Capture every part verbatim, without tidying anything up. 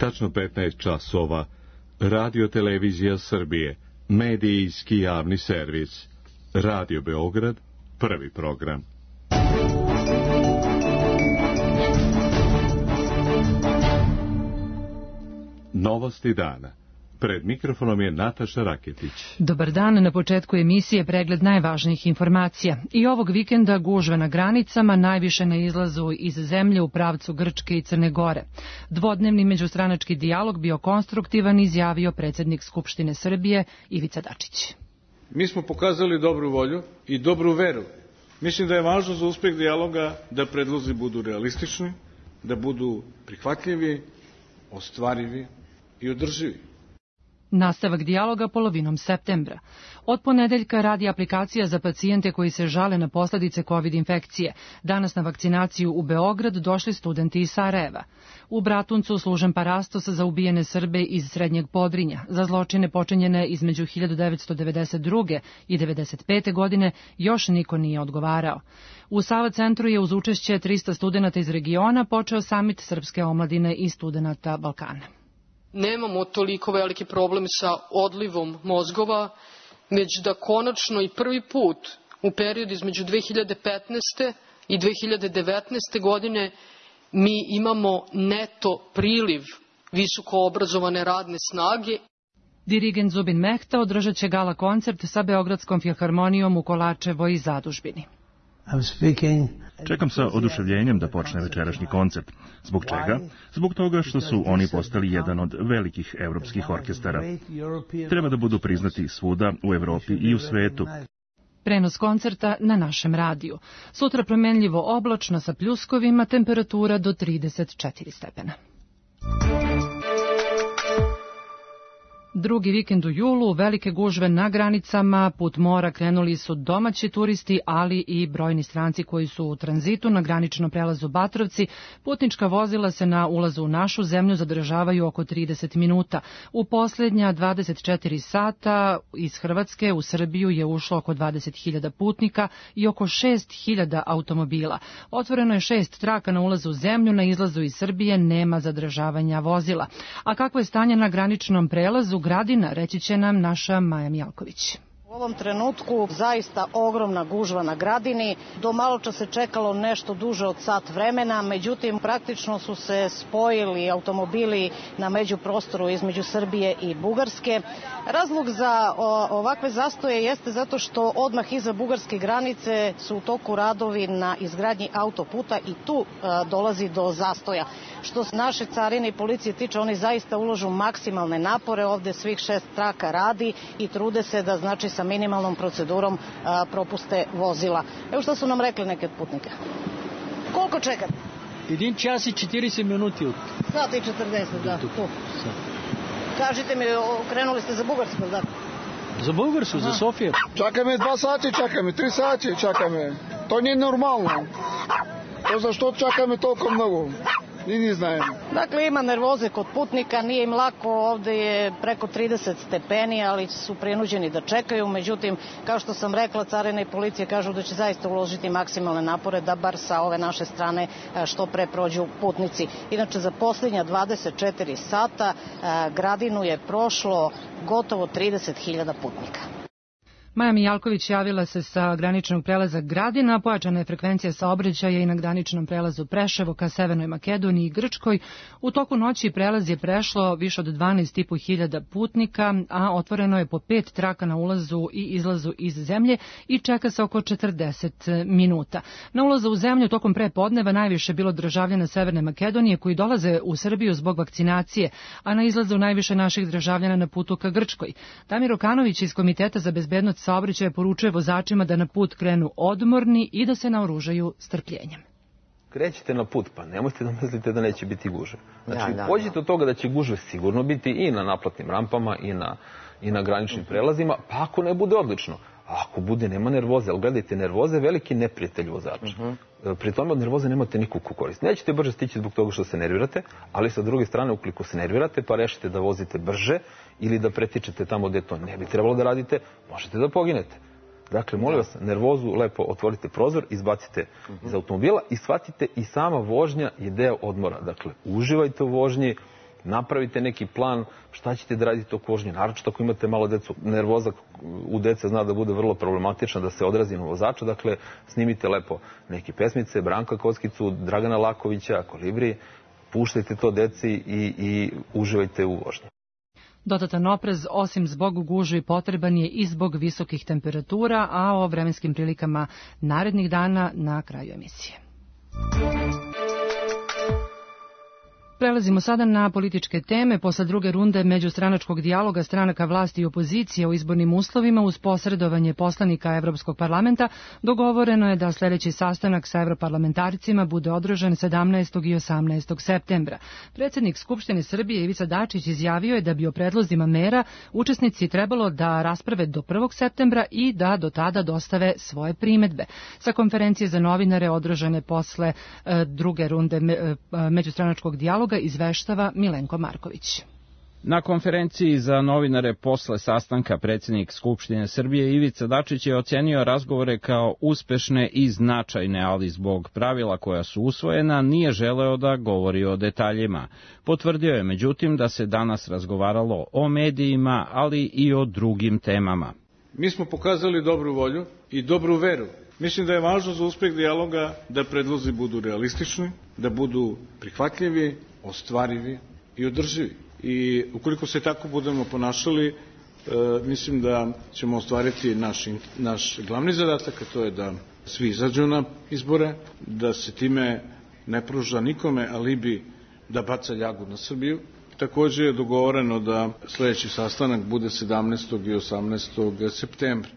tačno petnaest časova. Radio Televizija Srbije, medijski javni servis. Radio Beograd, prvi program. Novosti dana. Pred mikrofonom je Nataša Raketić. Dobar dan, na početku emisije pregled najvažnijih informacija. I ovog vikenda gužve na granicama najviše na izlazu iz zemlje u pravcu Grčke i Crne Gore. Dvodnevni međustranački dijalog bio konstruktivan, izjavio predsjednik Skupštine Srbije Ivica Dačić. Mi smo pokazali dobru volju i dobru veru. Mislim da je važno za uspeh dijaloga da predlozi budu realistični, da budu prihvatljivi, ostvarivi i održivi. Nastavak dijaloga polovinom septembra. Od ponedeljka radi aplikacija za pacijente koji se žale na posljedice COVID infekcije. Danas na vakcinaciju u Beograd došli studenti iz Sarajeva. U Bratuncu služen parastos za ubijene Srbe iz Srednjeg Podrinja. Za zločine počinjene između hiljadu devetsto devedeset druge i devedeset pete godine još niko nije odgovarao. U Sava centru je uz učešće trista studenata iz regiona počeo samit srpske omladine i studenata Balkana. Nemamo toliko veliki problem sa odlivom mozgova, već da konačno i prvi put u periodu između dve hiljade petnaeste i dve hiljade devetnaeste godine mi imamo neto priliv visoko obrazovane radne snage. Dirigent Zubin Mehta održat će gala koncert sa Beogradskom filharmonijom u Kolačevoj zadužbini. Čekam sa oduševljenjem da počne večerašnji koncert. Zbog čega? Zbog toga što su oni postali jedan od velikih evropskih orkestara. Treba da budu priznati svuda u Evropi i u svetu. Prenos koncerta na našem radiju. Sutra promenljivo oblačno sa pljuskovima, temperatura do trideset četiri stepena. Drugi vikend u julu, velike gužve na granicama, put mora krenuli su domaći turisti, ali i brojni stranci koji su u tranzitu na graničnom prelazu Batrovci. Putnička vozila se na ulazu u našu zemlju zadržavaju oko trideset minuta. U posljednja dvadeset četiri sata iz Hrvatske u Srbiju je ušlo oko dvadeset hiljada putnika i oko šest hiljada automobila. Otvoreno je šest traka na ulazu u zemlju, na izlazu iz Srbije nema zadržavanja vozila. A kako je stanje na graničnom prelazu Gradina, reći će nam naša Maja Mijalković. U ovom trenutku zaista ogromna gužva na Gradini. Do maločas se čekalo nešto duže od sat vremena, međutim praktično su se spojili automobili na međuprostoru između Srbije i Bugarske. Razlog za ovakve zastoje jeste zato što odmah iza bugarske granice su u toku radovi na izgradnji autoputa i tu dolazi do zastoja. Što se naše carine i policije tiče, oni zaista uložu maksimalne napore, ovde svih šest traka radi i trude se da znači sa minimalnom procedurom a, propuste vozila. Evo što su nam rekli neke od putnika. Koliko čekate? Един час и četrdeset minuti. Sat i četrdeset, da. Kažite mi, krenuli ste za Bugarsku, da? За Българско, за София. Чакаме два сати, чакаме, три сати чакаме. То не е нормално. То защо чакаме толкова много? Ni ni znajem. Dakle, ima nervoze kod putnika, nije im lako, ovde je preko trideset stepeni, ali su prinuđeni da čekaju. Međutim, kao što sam rekla, carina i policija kažu da će zaista uložiti maksimalne napore da bar sa ove naše strane što pre prođu putnici. Inače, za posljednja dvadeset četiri sata Gradinu je prošlo gotovo trideset hiljada putnika. Maja Mijalković javila se sa graničnog prelaza Gradina, pojačana je frekvencija saobraćaja i na graničnom prelazu Preševo ka Severnoj Makedoniji i Grčkoj. U toku noći prelaz je prešlo više od dvanaest i po hiljada putnika, a otvoreno je po pet traka na ulazu i izlazu iz zemlje i čeka se oko četrdeset minuta. Na ulazu u zemlju tokom prepodneva najviše bilo državljana Severne Makedonije koji dolaze u Srbiju zbog vakcinacije, a na izlazu najviše naših državljana na putu ka Grčkoj. Damir Okanović iz Komiteta za bezbednost saobraćaja poručuje vozačima da na put krenu odmorni i da se naoružaju strpljenjem. Krećete na put, pa nemojte da mislite da neće biti gužve. Znači, pođite od toga da će gužve sigurno biti i na naplatnim rampama i na, i na graničnim prelazima, pa ako ne bude odlično. A ako bude, nema nervoze, ali gledajte, nervoze je veliki neprijatelj vozača. Uh-huh. Pri tome od nervoze nemate nikakvu korist. Nećete brže stići zbog toga što se nervirate, ali sa druge strane, ukoliko se nervirate, pa rešite da vozite brže ili da pretičete tamo gde to ne bi trebalo da radite, možete da poginete. Dakle, molim vas, nervozu lepo otvorite prozor, izbacite iz automobila i shvatite i sama vožnja je deo odmora. Dakle, uživajte u vožnji, napravite neki plan šta ćete da radite oko vožnje. Naročito ako imate malo decu, nervoza u dece zna da bude vrlo problematična, da se odrazi na vozača. Dakle, snimite lepo neke pesmice, Branka Kockicu, Dragana Lakovića, Kolibri, puštajte to deci i, i uživajte u vožnji. Dodatan oprez, osim zbog gužvi, potreban je i zbog visokih temperatura, a o vremenskim prilikama narednih dana na kraju emisije. Prelazimo sada na političke teme. Posle druge runde međustranačkog dijaloga stranaka vlasti i opozicije o izbornim uslovima uz posredovanje poslanika Evropskog parlamenta dogovoreno je da sljedeći sastanak sa evroparlamentarcima bude održan sedamnaestog i osamnaestog septembra. Predsjednik Skupštine Srbije Ivica Dačić izjavio je da bi o predlozima mera učesnici trebalo da rasprave do prvog septembra i da do tada dostave svoje primedbe. Sa konferencije za novinare održane posle e, druge runde me, e, međustranačkog dijaloga izveštava Milenko Marković. Na konferenciji za novinare posle sastanka predsjednik Skupštine Srbije Ivica Dačić je ocenio razgovore kao uspešne i značajne, ali zbog pravila koja su usvojena nije želeo da govori o detaljima. Potvrdio je međutim da se danas razgovaralo o medijima, ali i o drugim temama. Mi smo pokazali dobru volju i dobru veru. Mislim da je važno za uspeh dijaloga da predlozi budu realistični, da budu prihvatljivi, ostvarivi i održivi. I ukoliko se tako budemo ponašali, e, mislim da ćemo ostvariti naš, naš glavni zadatak, a to je da svi izađu na izbore, da se time ne pruža nikome alibi da baca ljagu na Srbiju. Također je dogovoreno da sljedeći sastanak bude sedamnaestog i osamnaestog septembra.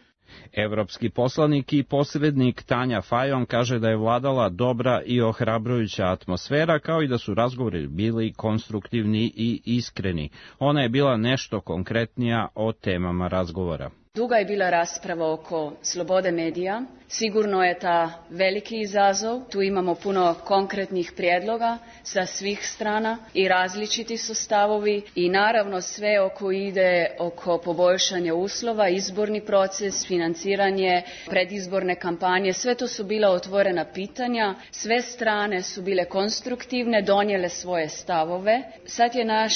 Evropski poslanik i posrednik Tanja Fajon kaže da je vladala dobra i ohrabrujuća atmosfera, kao i da su razgovori bili konstruktivni i iskreni. Ona je bila nešto konkretnija o temama razgovora. Duga je bila rasprava oko slobode medija. Sigurno je ta veliki izazov. Tu imamo puno konkretnih prijedloga sa svih strana i različiti su stavovi i naravno sve oko ide oko poboljšanja uslova, izborni proces, financiranje, predizborne kampanje. Sve to su bila otvorena pitanja. Sve strane su bile konstruktivne, donijele svoje stavove. Sad je naš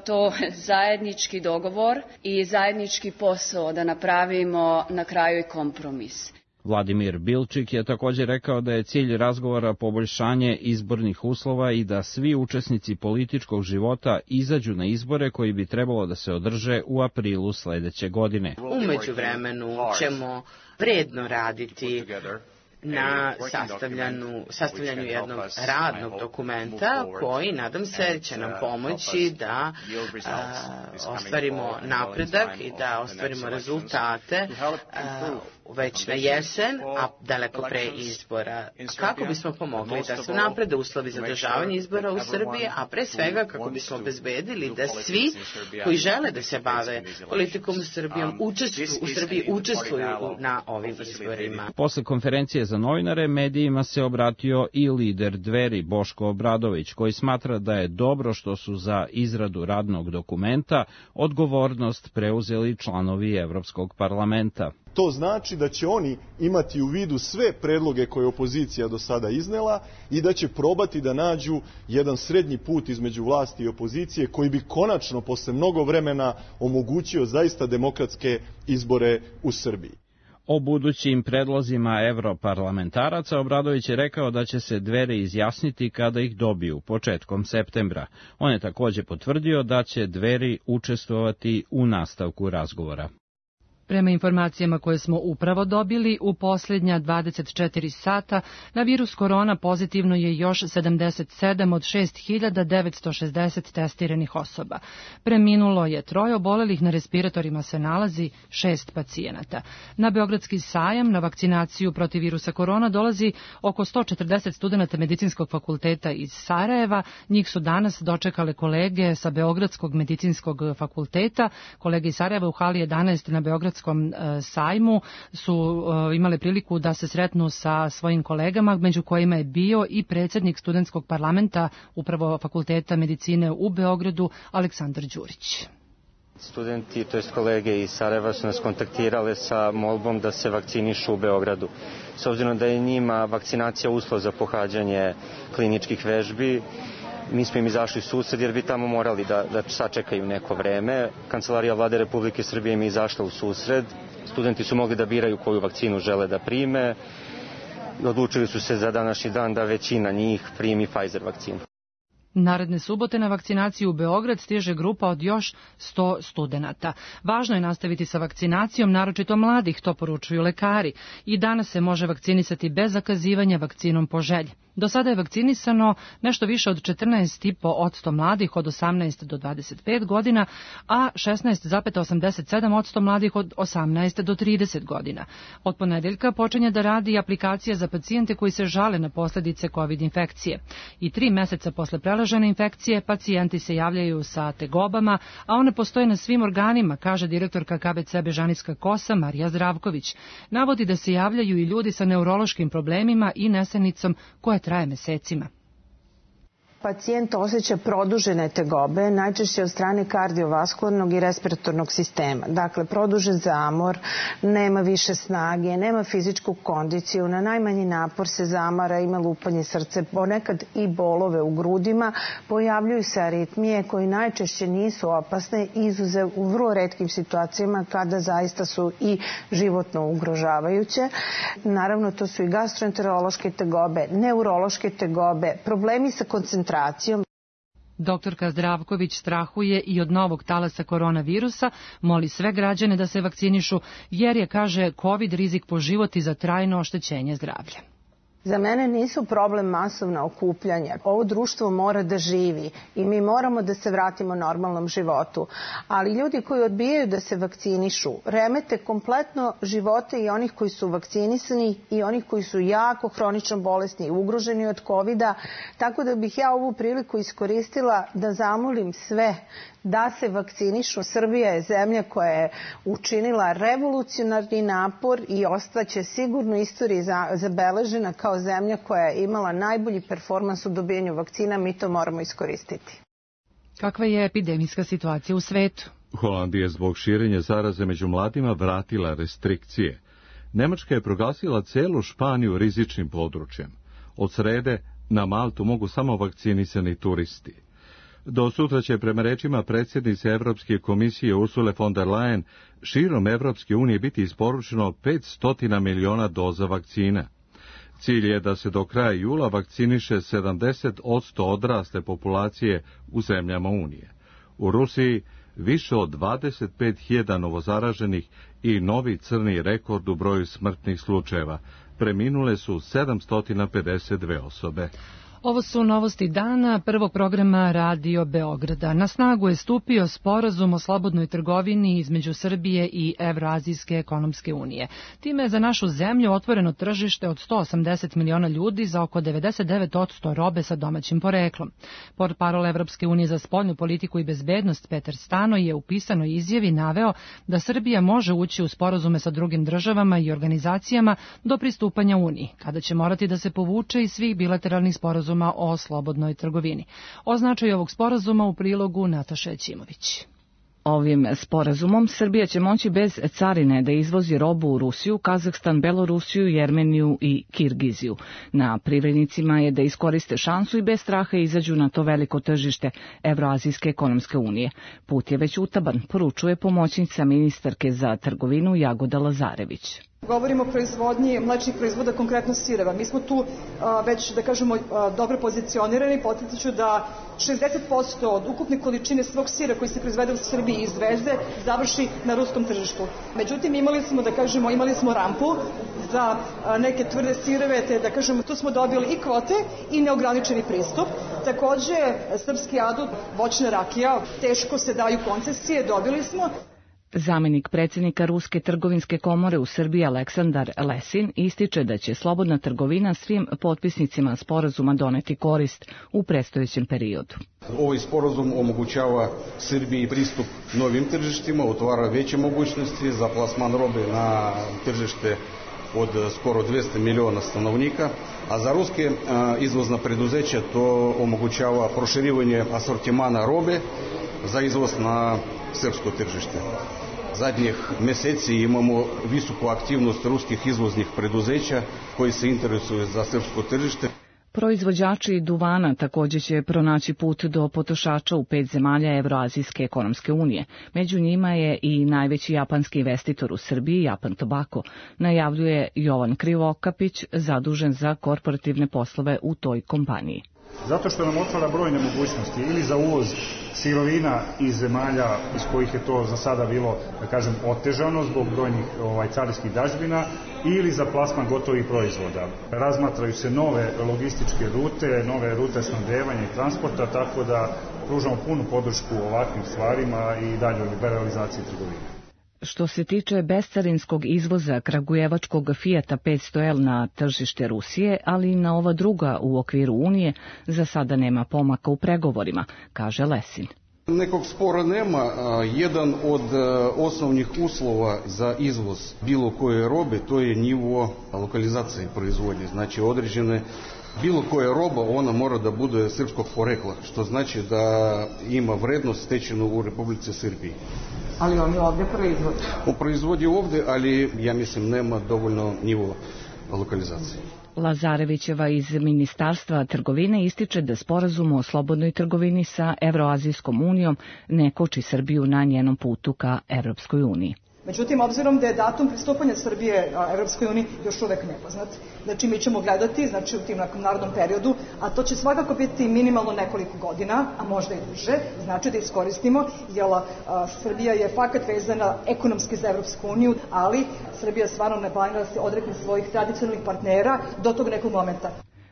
to zajednički dogovor i zajednički posao da napravimo na kraju i kompromis. Vladimir Bilčik je također rekao da je cilj razgovora poboljšanje izbornih uslova i da svi učesnici političkog života izađu na izbore koji bi trebalo da se održe u aprilu sledeće godine. U međuvremenu ćemo vredno raditi na sastavljanju, sastavljanju jednog radnog dokumenta koji, nadam se, će nam pomoći da a, ostvarimo napredak i da ostvarimo rezultate a, već na jesen, a daleko pre izbora. Kako bismo pomogli da se naprede uslovi za održavanje izbora u Srbiji, a pre svega kako bismo obezbedili da svi koji žele da se bave politikom u Srbijom učestvuju, u Srbiji učestvuju na ovim izborima. Posle konferencije za novinare medijima se obratio i lider Dveri Boško Obradović, koji smatra da je dobro što su za izradu radnog dokumenta odgovornost preuzeli članovi Evropskog parlamenta. To znači da će oni imati u vidu sve predloge koje je opozicija do sada iznela i da će probati da nađu jedan srednji put između vlasti i opozicije koji bi konačno posle mnogo vremena omogućio zaista demokratske izbore u Srbiji. O budućim predlozima evroparlamentaraca Obradović je rekao da će se Dveri izjasniti kada ih dobiju, početkom septembra. On je također potvrdio da će Dveri učestvovati u nastavku razgovora. Prema informacijama koje smo upravo dobili, u posljednja dvadeset četiri sata na virus korona pozitivno je još sedamdeset sedam od šest hiljada devetsto šezdeset testiranih osoba. Preminulo je troje, obolelih, na respiratorima se nalazi šest pacijenata. Na Beogradski sajam na vakcinaciju protiv virusa korona dolazi oko sto četrdeset studenata Medicinskog fakulteta iz Sarajeva. Njih su danas dočekale kolege sa Beogradskog medicinskog fakulteta. Kolege iz Sarajeva u hali jedanaest na Beogradskom sajmu su imale priliku da se sretnu sa svojim kolegama, među kojima je bio i predsjednik studentskog parlamenta upravo Fakulteta medicine u Beogradu, Aleksandar Đurić. Studenti, to jest kolege iz Sarajeva, su nas kontaktirale sa molbom da se vakcinišu u Beogradu. S obzirom da je njima vakcinacija uslov za pohađanje kliničkih vežbi, Mi smo im izašli susred jer bi tamo morali da, da sačekaju neko vreme. Kancelarija vlade Republike Srbije im je izašla u susred. Studenti su mogli da biraju koju vakcinu žele da prime. Odlučili su se za današnji dan da većina njih primi Pfizer vakcinu. Naredne subote na vakcinaciju u Beograd stiže grupa od još sto studenata. Važno je nastaviti sa vakcinacijom, naročito mladih, to poručuju lekari. I danas se može vakcinisati bez zakazivanja vakcinom po želji. Do sada je vakcinisano nešto više od četrnaest zarez pet posto mladih od osamnaest do dvadeset pet godina, a šesnaest zarez osamdeset sedam posto mladih od osamnaest do trideset godina. Od ponedeljka počinje da radi aplikacija za pacijente koji se žale na posledice COVID infekcije. I tri meseca posle prelažene infekcije pacijenti se javljaju sa tegobama, a one postoje na svim organima, kaže direktorka K B C Bežanijska kosa Marija Zdravković. Navodi da se javljaju i ljudi sa neurološkim problemima i nesanicom koje traje mesecima. Pacijent osjeća produžene tegobe, najčešće od strane kardiovaskularnog i respiratornog sistema. Dakle, produžen zamor, nema više snage, nema fizičku kondiciju, na najmanji napor se zamara, ima lupanje srce, ponekad i bolove u grudima, pojavljuju se aritmije koje najčešće nisu opasne, izuzev u vrlo retkim situacijama kada zaista su i životno ugrožavajuće. Naravno, to su i gastroenterološke tegobe, neurološke tegobe, problemi sa koncentracijom. Doktorka Zdravković strahuje i od novog talasa koronavirusa, moli sve građane da se vakcinišu, jer je, kaže, COVID rizik po život i za trajno oštećenje zdravlja. Za mene nisu problem masovna okupljanja. Ovo društvo mora da živi i mi moramo da se vratimo normalnom životu. Ali ljudi koji odbijaju da se vakcinišu remete kompletno živote i onih koji su vakcinisani i onih koji su jako hronično bolesni i ugroženi od kovida. Tako da bih ja ovu priliku iskoristila da zamolim sve da se vakcinišu. Srbija je zemlja koja je učinila revolucionarni napor i ostaće sigurno istoriji zabeležena kao zemlja koja je imala najbolji performans u dobijanju vakcina. Mi to moramo iskoristiti. Kakva je epidemijska situacija u svetu? Holandija je zbog širenja zaraze među mladima vratila restrikcije. Nemačka je proglasila celu Španiju rizičnim područjem. Od srede na Maltu mogu samo vakcinisani turisti. Do sutra će, prema rečima predsjednice Evropske komisije Ursule von der Leyen, širom Evropske unije biti isporučeno petsto miliona doza vakcina. Cilj je da se do kraja jula vakciniše sedamdeset posto odrasle populacije u zemljama Unije. U Rusiji više od dvadeset pet hiljada novozaraženih i novi crni rekord u broju smrtnih slučajeva. Preminule su sedamsto pedeset dve osobe. Ovo su novosti dana prvog programa Radio Beograda. Na snagu je stupio sporazum o slobodnoj trgovini između Srbije i Evroazijske ekonomske unije. Time je za našu zemlju otvoreno tržište od sto osamdeset miliona ljudi za oko devedeset devet posto robe sa domaćim poreklom. Portparol Evropske unije za spoljnu politiku i bezbednost Petar Stano je u pisanoj izjavi naveo da Srbija može ući u sporazume sa drugim državama i organizacijama do pristupanja Uniji, kada će morati da se povuče iz svih bilateralnih sporazuma o slobodnoj trgovini. O značaju ovog sporazuma u prilogu Nataše Ćimović. Ovim sporazumom Srbija će moći bez carine da izvozi robu u Rusiju, Kazahstan, Belorusiju, Jermeniju i Kirgiziju. Na privrednicima je da iskoriste šansu i bez straha izađu na to veliko tržište Evroazijske ekonomske unije. Put je već utaban, poručuje pomoćnica ministarke za trgovinu Jagoda Lazarević. Govorimo o proizvodnji mlečnih proizvoda, konkretno sireva. Mi smo tu a, već, da kažemo, a, dobro pozicionirani. Podsjetit ću da šezdeset posto od ukupne količine svog sira koji se proizvede u Srbiji i izveze završi na ruskom tržištu. Međutim, imali smo, da kažemo, imali smo rampu za a, neke tvrde sireve, te da kažemo, tu smo dobili i kvote i neograničeni pristup. Takođe, srpski adut, voćna rakija, teško se daju koncesije, dobili smo. Zamenik predsjednika Ruske trgovinske komore u Srbiji Aleksandar Lesin ističe da će slobodna trgovina svim potpisnicima sporazuma doneti korist u predstojećem periodu. Ovaj sporazum omogućava Srbiji pristup novim tržištima, otvara veće mogućnosti za plasman robe na tržište od skoro dvesta miliona stanovnika, a za ruske izvozna preduzeća to omogućava proširivanje asortimana robe za izvoz na srpsko tržište. Zadnjih meseci imamo visoku aktivnost ruskih izvoznih preduzeća koji se interesuju za srpsko tržište. Proizvođači duvana također će pronaći put do potrošača u pet zemalja Evroazijske ekonomske unije. Među njima je i najveći japanski investitor u Srbiji, Japan Tobacco, najavljuje Jovan Krivokapić, zadužen za korporativne poslove u toj kompaniji. Zato što nam otvara brojne mogućnosti ili za uvoz sirovina iz zemalja iz kojih je to za sada bilo, da kažem, otežano zbog brojnih ovaj, carinskih dažbina, ili za plasman gotovih proizvoda. Razmatraju se nove logističke rute, nove rute snabdevanja i transporta, tako da pružamo punu podršku ovakvim stvarima i daljoj liberalizaciji trgovine. Što se tiče bescarinskog izvoza kragujevačkog Fijata petsto L na tržište Rusije, ali i na ova druga u okviru Unije, za sada nema pomaka u pregovorima, kaže Lesin. Nekog spora nema. Jedan od osnovnih uslova za izvoz bilo koje robe, to je nivo lokalizacije proizvodnje. Znači određene bilo koja roba, ona mora da bude srpskog porekla, što znači da ima vrednost stečenu u Republici Srbiji. Ali oni ovdje proizvodi? On proizvodi ovdje, ali ja mislim nema dovoljno nivo lokalizacije. Lazarevićeva iz Ministarstva trgovine ističe da sporazum o slobodnoj trgovini sa Evroazijskom unijom ne koči Srbiju na njenom putu ka Evropskoj uniji. Međutim, obzirom da je datum pristupanja Srbije Evropskoj uniji još uvek nepoznat, znači mi ćemo gledati, znači u tim narodnom periodu, a to će svakako biti minimalno nekoliko godina, a možda i duže, znači da iskoristimo, jer a, Srbija je fakat vezana ekonomski za Evropsku uniju, ali Srbija stvarno ne planira da se odrekne svojih tradicionalnih partnera do tog nekog momenta.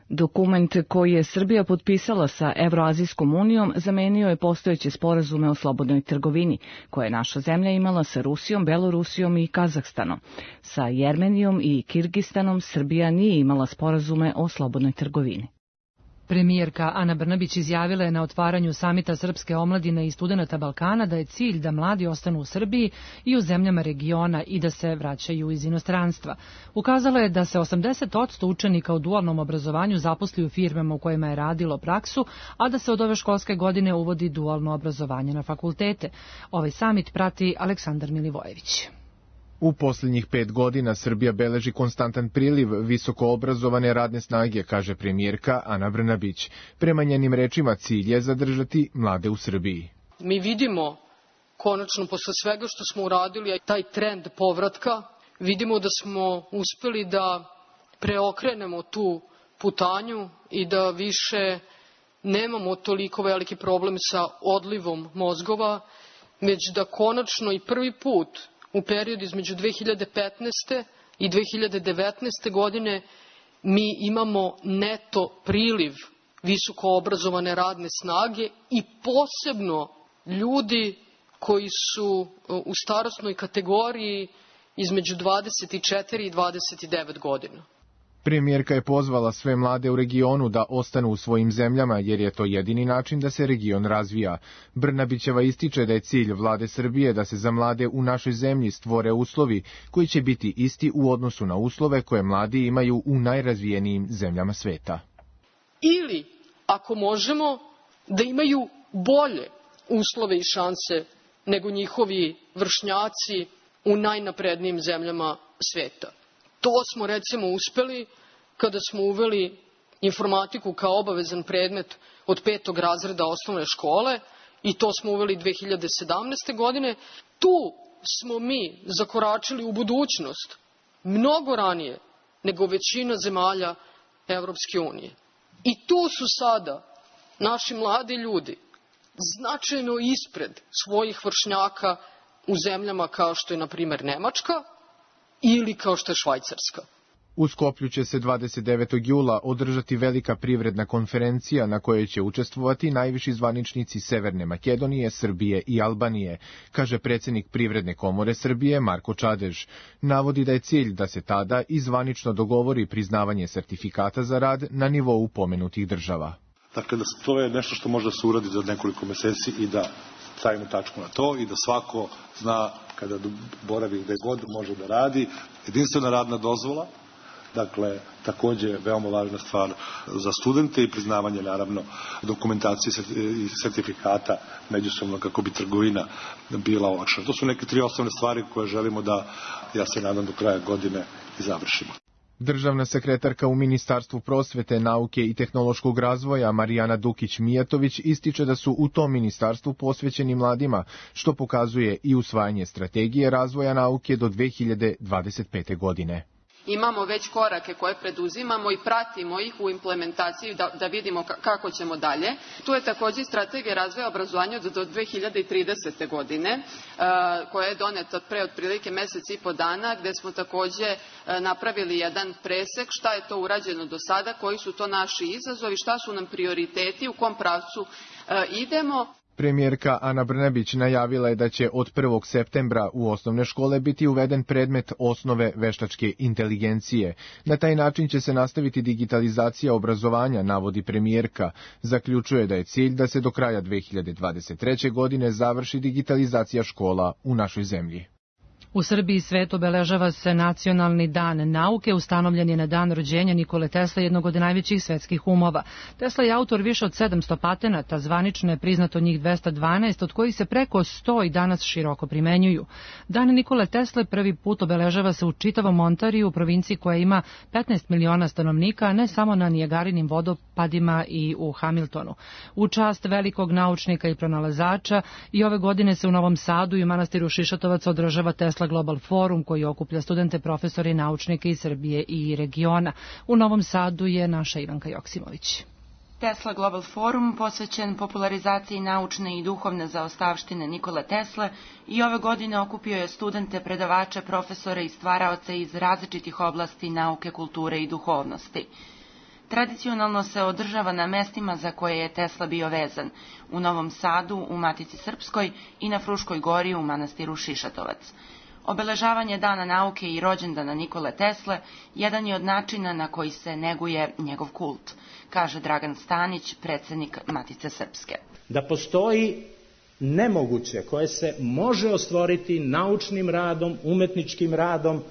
Dokument koji je Srbija potpisala sa Evroazijskom unijom zamenio je postojeće sporazume o slobodnoj trgovini, koje je naša zemlja imala sa Rusijom, Belorusijom i Kazahstanom. Sa Jermenijom i Kirgistanom Srbija nije imala sporazume o slobodnoj trgovini. Premijerka Ana Brnabić izjavila je na otvaranju samita Srpske omladine i studenata Balkana da je cilj da mladi ostanu u Srbiji i u zemljama regiona i da se vraćaju iz inostranstva. Ukazala je da se osamdeset posto učenika u dualnom obrazovanju zaposli u firmama u kojima je radilo praksu, a da se od ove školske godine uvodi dualno obrazovanje na fakultete. Ovaj samit prati Aleksandar Milivojević. U posljednjih pet godina Srbija beleži konstantan priliv visoko obrazovane radne snage, kaže premijerka Ana Brnabić. Prema njenim rečima cilj je zadržati mlade u Srbiji. Mi vidimo konačno posle svega što smo uradili taj trend povratka, vidimo da smo uspeli da preokrenemo tu putanju i da više nemamo toliko veliki problem sa odlivom mozgova, već da konačno i prvi put u periodu između dve hiljade petnaeste. i dve hiljade devetnaeste. godine mi imamo neto priliv visoko obrazovane radne snage i posebno ljudi koji su u starosnoj kategoriji između dvadeset četiri i dvadeset devet godina. Premijerka je pozvala sve mlade u regionu da ostanu u svojim zemljama, jer je to jedini način da se region razvija. Brnabićeva ističe da je cilj vlade Srbije da se za mlade u našoj zemlji stvore uslovi koji će biti isti u odnosu na uslove koje mladi imaju u najrazvijenijim zemljama sveta. Ili, ako možemo, da imaju bolje uslove i šanse nego njihovi vršnjaci u najnaprednijim zemljama sveta. To smo recimo uspeli kada smo uveli informatiku kao obavezan predmet od petog razreda osnovne škole i to smo uveli dve hiljade sedamnaeste. godine. Tu smo mi zakoračili u budućnost mnogo ranije nego većina zemalja Evropske unije. I tu su sada naši mladi ljudi značajno ispred svojih vršnjaka u zemljama kao što je, na primjer, Nemačka ili kao što je Švajcarska. U Skoplju će se dvadeset devetog jula održati velika privredna konferencija na kojoj će učestvovati najviši zvaničnici Severne Makedonije, Srbije i Albanije, kaže predsjednik Privredne komore Srbije Marko Čadež. Navodi da je cilj da se tada i zvanično dogovori priznavanje sertifikata za rad na nivou pomenutih država. Dakle, da to je nešto što može da se uradi za nekoliko meseci i da stavimo tačku na to i da svako zna kada boravi gde god može da radi. Jedinstvena radna dozvola, dakle, takođe veoma važna stvar za studente i priznavanje, naravno, dokumentacije i sertifikata međusobno kako bi trgovina bila olakšana. To su neke tri osnovne stvari koje želimo da, ja se nadam, do kraja godine i završimo. Državna sekretarka u Ministarstvu prosvete, nauke i tehnološkog razvoja Marijana Dukić-Mijatović ističe da su u tom ministarstvu posvećeni mladima, što pokazuje i usvajanje strategije razvoja nauke do dve hiljade dvadeset pete. godine. Imamo već korake koje preduzimamo i pratimo ih u implementaciji da, da vidimo kako ćemo dalje. Tu je također strategija razvoja obrazovanja do dve hiljade tridesete. godine, koja je doneta pre otprilike mesec i po dana, gde smo također napravili jedan presek šta je to urađeno do sada, koji su to naši izazovi, šta su nam prioriteti, u kom pravcu idemo. Premijerka Ana Brnabić najavila je da će od prvog septembra u osnovne škole biti uveden predmet osnove veštačke inteligencije. Na taj način će se nastaviti digitalizacija obrazovanja, navodi premijerka. Zaključuje da je cilj da se do kraja dve hiljade dvadeset treće. godine završi digitalizacija škola u našoj zemlji. U Srbiji i svetu obeležava se Nacionalni dan nauke, ustanovljen je na dan rođenja Nikole Tesle, jednog od najvećih svetskih umova. Tesla je autor više od sedamsto patenata, zvanično je priznato njih dvesta dvanaest, od kojih se preko sto i danas široko primenjuju. Dan Nikole Tesle prvi put obeležava se u čitavom Ontariju, u provinciji koja ima petnaest miliona stanovnika, a ne samo na Nijagarinim vodopadima i u Hamiltonu. U čast velikog naučnika i pronalazača i ove godine se u Novom Sadu i u manastiru Šišatovac održava Tesla Global Forum, koji okuplja studente, profesore i naučnike iz Srbije i regiona. U Novom Sadu je naša Ivanka Joksimović. Tesla Global Forum, posvećen popularizaciji naučne i duhovne zaostavštine Nikole Tesle, i ove godine okupio je studente, predavače, profesore i stvaraoce iz različitih oblasti nauke, kulture i duhovnosti. Tradicionalno se održava na mestima za koje je Tesla bio vezan, u Novom Sadu, u Matici Srpskoj i na Fruškoj gori u manastiru Šišatovac. Obeležavanje Dana nauke i rođendana Nikole Tesle jedan je od načina na koji se neguje njegov kult, kaže Dragan Stanić, predsednik Matice Srpske. Da postoji nemoguće koje se može ostvoriti naučnim radom, umetničkim radom,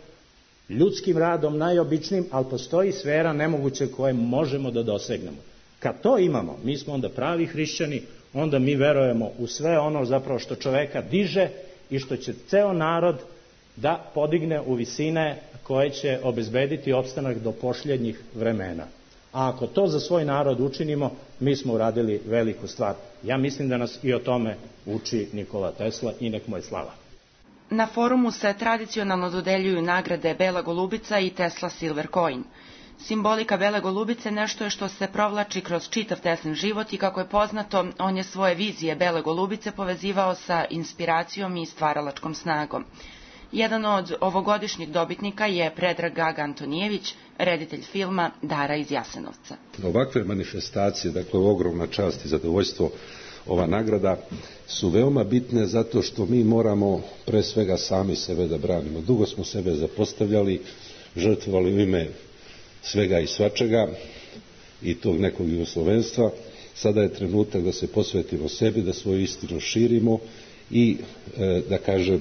ljudskim radom, najobičnijim, ali postoji sfera nemoguće koje možemo da dosegnemo. Kad to imamo, mi smo onda pravi hrišćani, onda mi verujemo u sve ono zapravo što čoveka diže i što će ceo narod da podigne u visine koje će obezbediti opstanak do pošljednjih vremena. A ako to za svoj narod učinimo, mi smo uradili veliku stvar. Ja mislim da nas i o tome uči Nikola Tesla i nek mu je slava. Na forumu se tradicionalno dodeljuju nagrade Bela golubica i Tesla Silver Coin. Simbolika Bele golubice nešto je što se provlači kroz čitav Teslin život i, kako je poznato, on je svoje vizije Bele golubice povezivao sa inspiracijom i stvaralačkom snagom. Jedan od ovogodišnjih dobitnika je Predrag Gaga Antonijević, reditelj filma Dara iz Jasenovca. Ovakve manifestacije, dakle ogromna čast i zadovoljstvo, ova nagrada su veoma bitne zato što mi moramo pre svega sami sebe da branimo. Dugo smo sebe zapostavljali, žrtvovali u ime svega i svačega i tog nekog jugoslovenstva. Sada je trenutak da se posvetimo sebi, da svoju istinu širimo i e, da kažem,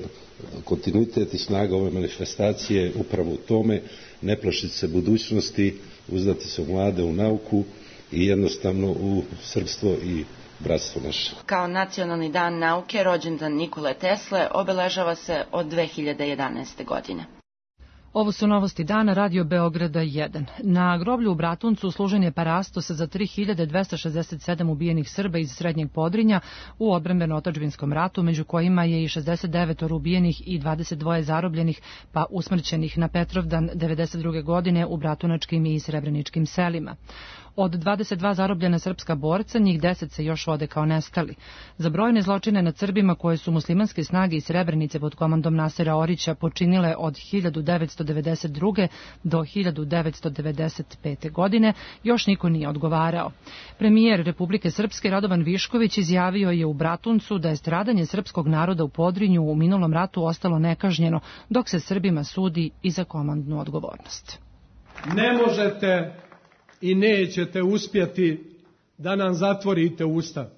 kontinuitet i snaga ove manifestacije upravo u tome, ne plašiti se budućnosti, uzdati se u mlade, u nauku i jednostavno u srpstvo i bratstvo naše. Kao Nacionalni dan nauke, rođendan Nikole Tesle obeležava se od dve hiljade jedanaeste. godine. Ovo su novosti dana Radio Beograda jedan. Na groblju u Bratuncu služen je parastos za tri hiljade dvesta šezdeset sedam ubijenih Srba iz Srednjeg Podrinja u odbrambeno-otadžbinskom ratu, među kojima je i šezdeset devet ubijenih i dvadeset dva zarobljenih pa usmrćenih na Petrovdan devedeset druge. godine u bratunačkim i srebreničkim selima. Od dvadeset dva zarobljena srpska borca, njih deset se još vode kao nestali. Za brojne zločine nad Srbima koje su muslimanske snage iz Srebrenice pod komandom Nasera Orića počinile od hiljadu devetsto devedeset druge. do hiljadu devetsto devedeset pete. godine, još niko nije odgovarao. Premijer Republike Srpske Radovan Višković izjavio je u Bratuncu da je stradanje srpskog naroda u Podrinju u minulom ratu ostalo nekažnjeno, dok se Srbima sudi i za komandnu odgovornost. Ne možete i nećete uspjeti da nam zatvorite usta.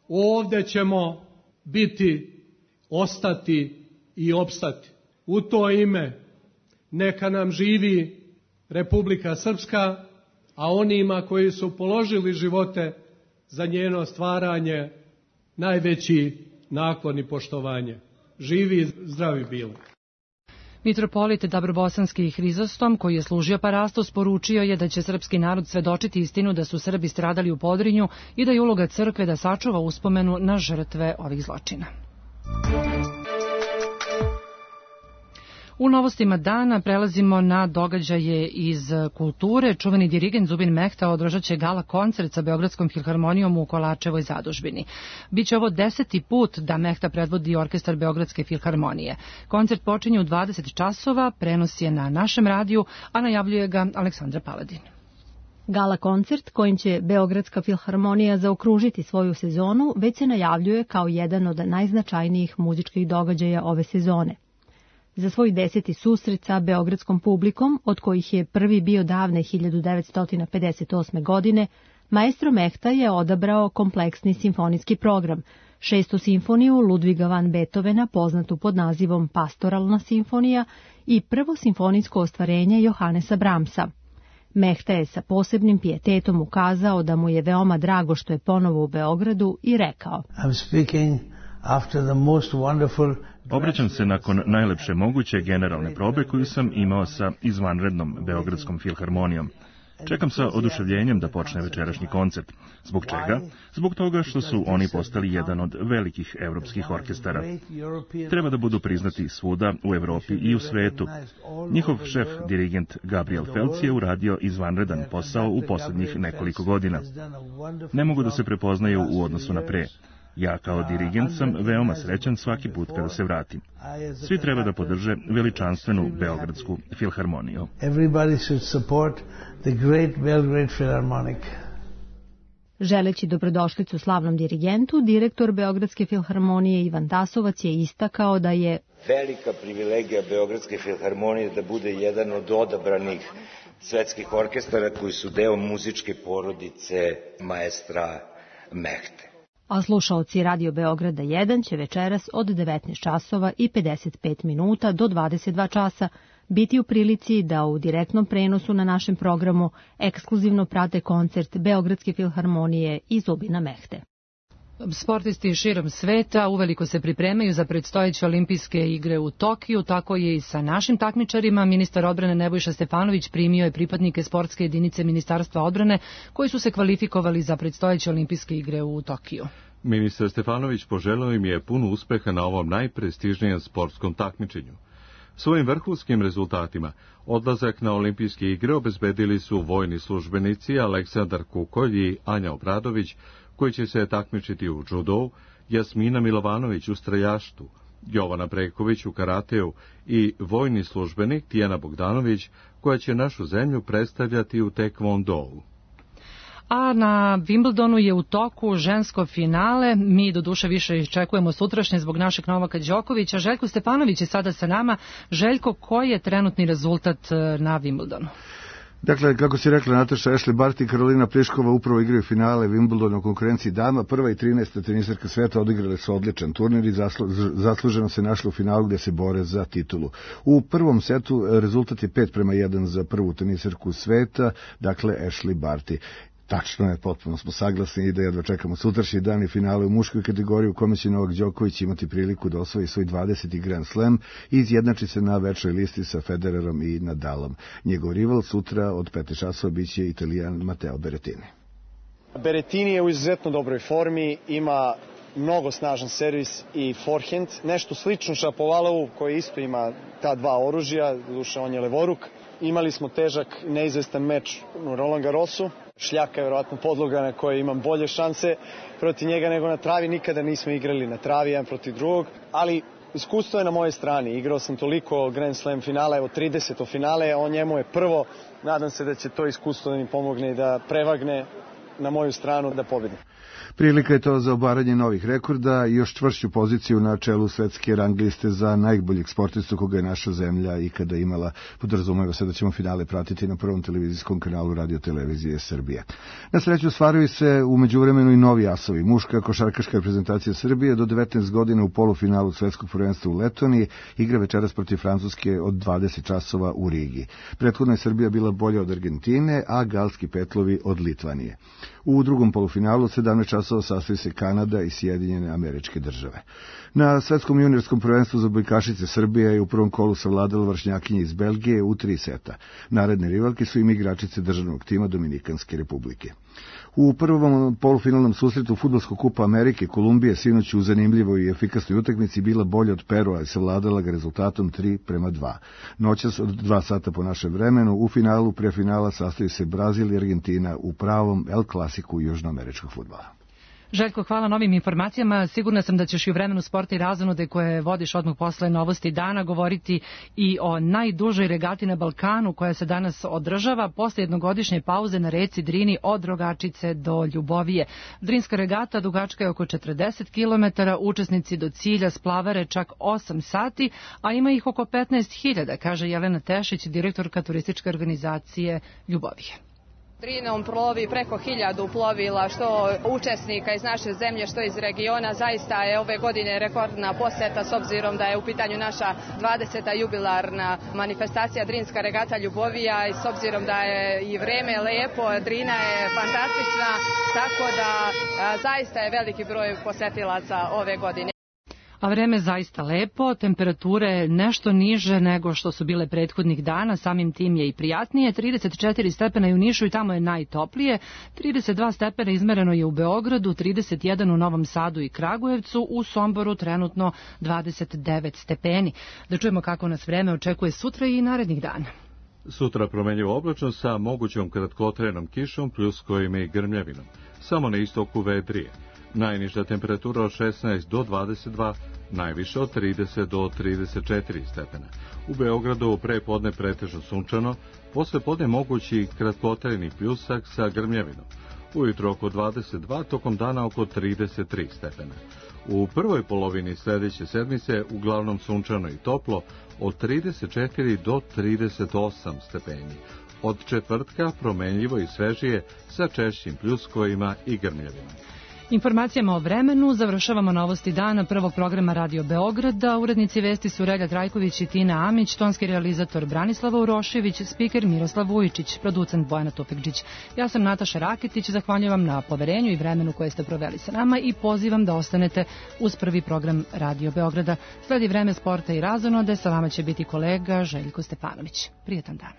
Ovdje ćemo biti, ostati i opstati. U to ime neka nam živi Republika Srpska, a onima koji su položili živote za njeno stvaranje najveći naklon i poštovanje. Živi i zdravi bili. Mitropolit Dabrobosanski Hrizostom, koji je služio Parastos, poručio je da će srpski narod svedočiti istinu da su Srbi stradali u Podrinju i da je uloga crkve da sačuva uspomenu na žrtve ovih zločina. U novostima dana prelazimo na događaje iz kulture. Čuveni dirigent Zubin Mehta održat će gala koncert sa Beogradskom filharmonijom u Kolačevoj zadužbini. Biće ovo deseti put da Mehta predvodi orkestar Beogradske filharmonije. Koncert počinje u dvadeset časova, prenos je na našem radiju, a najavljuje ga Aleksandra Paladin. Gala koncert kojim će Beogradska filharmonija zaokružiti svoju sezonu već se najavljuje kao jedan od najznačajnijih muzičkih događaja ove sezone. Za svoj deseti susret sa beogradskom publikom, od kojih je prvi bio davne hiljadu devetsto pedeset osme. godine, maestro Mehta je odabrao kompleksni simfonijski program, šestu simfoniju Ludviga van Beethovena, poznatu pod nazivom Pastoralna simfonija, i prvo simfonijsko ostvarenje Johannesa Brahmsa. Mehta je sa posebnim pijetetom ukazao da mu je veoma drago što je ponovo u Beogradu i rekao: I'm speaking after the most wonderful... Obraćam se nakon najlepše moguće generalne probe koju sam imao sa izvanrednom Beogradskom filharmonijom. Čekam sa oduševljenjem da počne večerašnji koncert. Zbog čega? Zbog toga što su oni postali jedan od velikih evropskih orkestara. Treba da budu priznati svuda u Evropi i u svetu. Njihov šef, dirigent Gabriel Felc, je uradio izvanredan posao u poslednjih nekoliko godina. Ne mogu da se prepoznaju u odnosu na pre. Ja kao dirigent sam veoma srećan svaki put kada se vratim. Svi treba da podrže veličanstvenu Beogradsku filharmoniju. Everybody should support the great Belgrade Philharmonic. Želeći dobrodošlicu slavnom dirigentu, direktor Beogradske filharmonije Ivan Tasovac je istakao da je velika privilegija Beogradske filharmonije da bude jedan od odabranih svetskih orkestara koji su deo muzičke porodice maestra Mehte. A slušaoci Radio Beograda jedan će večeras od devetnaest časova i pedeset pet minuta do dvadeset dva časa biti u prilici da u direktnom prenosu na našem programu ekskluzivno prate koncert Beogradske filharmonije i Zubina Mehte. Sportisti širom sveta uveliko se pripremaju za predstojeće olimpijske igre u Tokiju, tako je i sa našim takmičarima. Ministar odbrane Nebojša Stefanović primio je pripadnike sportske jedinice Ministarstva odbrane koji su se kvalifikovali za predstojeće olimpijske igre u Tokiju. Ministar Stefanović poželeo im je puno uspeha na ovom najprestižnijem sportskom takmičenju. Svojim vrhunskim rezultatima odlazak na olimpijske igre obezbedili su vojni službenici Aleksandar Kukolj i Anja Obradović, koji će se takmičiti u džudou, Jasmina Milovanović u strajaštu, Jovana Breković u karateu i vojni službenik Tijana Bogdanović, koja će našu zemlju predstavljati u tekvondou. A na Wimbledonu je u toku žensko finale. Mi do duše više iščekujemo sutrašnje zbog našeg Novaka Đokovića. Željko Stefanović je sada sa nama. Željko, koji je trenutni rezultat na Wimbledonu? Dakle, kako si rekla Nataša, Ashley Barty i Karolina Pliškova upravo igraju finale Wimbledona u konkurenciji dama. Prva i trinaesta tenisarka sveta odigrale su odličan turnir i zaslu, zasluženo se našle u finalu gde se bore za titulu. U prvom setu rezultat je pet prema jedan za prvu tenisarku sveta, dakle Ashley Barty. Tačno je, potpuno smo saglasni i da jedva čekamo sutrašnji dan i finale u muškoj kategoriji u kome će Novak Đoković imati priliku da osvoji svoj dvadeseti Grand Slam i izjednači se na večnoj listi sa Federerom i Nadalom. Njegov rival sutra od pet časova biće Italijan Matteo Berrettini. Berrettini je u izuzetno dobroj formi, ima mnogo snažan servis i forehand, nešto slično Šapovalovu koji isto ima ta dva oružja, duše on je levoruk. Imali smo težak, neizvestan meč u Roland Garrosu. Šljaka je vjerovatno podloga na kojoj imam bolje šanse protiv njega nego na travi. Nikada nismo igrali na travi jedan protiv drugog, ali iskustvo je na moje strani. Igrao sam toliko Grand Slam finala, evo trideset finale, on njemu je prvo. Nadam se da će to iskustvo da mi pomogne i da prevagne na moju stranu da pobedim. Prilika je to za obaranje novih rekorda i još čvršću poziciju na čelu svetske rang liste za najboljeg sportistu koga je naša zemlja ikada imala. Podrazumeva se da ćemo finale pratiti na prvom televizijskom kanalu Radio Televizije Srbije. Na sreću stvaraju se u međuvremenu i novi asovi. Muška košarkaška reprezentacija Srbije do devetnaest godina u polufinalu svetskog prvenstva u Letoniji igra večeras protiv Francuske od dvadeset časova u Rigi. Prethodno je Srbija bila bolja od Argentine, a galski petlovi od Litvanije. U drugom polufinalu sedamnaest časova sastoji se Kanada i Sjedinjene Američke Države. Na svetskom juniorskom prvenstvu za odbojkašice Srbija je u prvom kolu savladala vršnjakinje iz Belgije u tri seta. Naredne rivalke su im igračice državnog tima Dominikanske Republike. U prvom polufinalnom susretu Fudbalskog kupa Amerike Kolumbija sinoć u zanimljivoj i efikasnoj utakmici bila bolja od Perua i savladala ga rezultatom tri prema dva. Noćas od dva sata po našem vremenu u finalu pre finala sastoji se Brazil i Argentina u pravom El Klasiku južnoameričkog fudbala. Željko, hvala novim informacijama. Sigurna sam da ćeš i u vremenu sporta i razonude koje vodiš odmah posle novosti dana govoriti i o najdužoj regati na Balkanu koja se danas održava posle jednogodišnje pauze na reci Drini od Rogačice do Ljubovije. Drinska regata dugačka je oko četrdeset kilometara, učesnici do cilja splavare čak osam sati, a ima ih oko petnaest hiljada, kaže Jelena Tešić, direktorka turističke organizacije Ljubovije. Drinom plovi preko hiljadu plovila, što učesnika iz naše zemlje, što iz regiona. Zaista je ove godine rekordna poseta s obzirom da je u pitanju naša dvadeseta jubilarna manifestacija Drinska regata Ljubovija i s obzirom da je i vreme lepo, Drina je fantastična, tako da a, zaista je veliki broj posetilaca ove godine. A vreme je zaista lepo, temperature nešto niže nego što su bile prethodnih dana, samim tim je i prijatnije, trideset četiri stepena je u Nišu i tamo je najtoplije, trideset dva stepena izmereno je u Beogradu, trideset jedan u Novom Sadu i Kragujevcu, u Somboru trenutno dvadeset devet stepeni. Da čujemo kako nas vreme očekuje sutra i narednih dana. Sutra promenljivo oblačno sa mogućom kratkotrenom kišom, pljuskovima i grmljavinom. Samo na istoku vedrije. Najniža temperatura od šesnaest do dvadeset dva, najviše od trideset do trideset četiri stepena. U Beogradu pre podne pretežno sunčano, posle podne mogući kratkotrajni pljusak sa grmljavinom. Ujutro oko dvadeset dva, tokom dana oko trideset tri stepena. U prvoj polovini sledeće sedmice uglavnom sunčano i toplo, od trideset četiri do trideset osam stepeni. Od četvrtka promenljivo i svežije sa češćim pljuskovima i grmljavinom. Informacijama o vremenu završavamo novosti dana prvog programa Radio Beograda. Urednici vesti su Relja Trajković i Tina Amić, tonski realizator Branislava Urošević, spiker Miroslav Vujičić, producent Bojana Tufekđić. Ja sam Nataša Rakitić, zahvaljujem vam na poverenju i vremenu koje ste proveli sa nama i pozivam da ostanete uz prvi program Radio Beograda. Sledi vreme sporta i razonode, sa vama će biti kolega Željko Stepanović. Prijetan dan.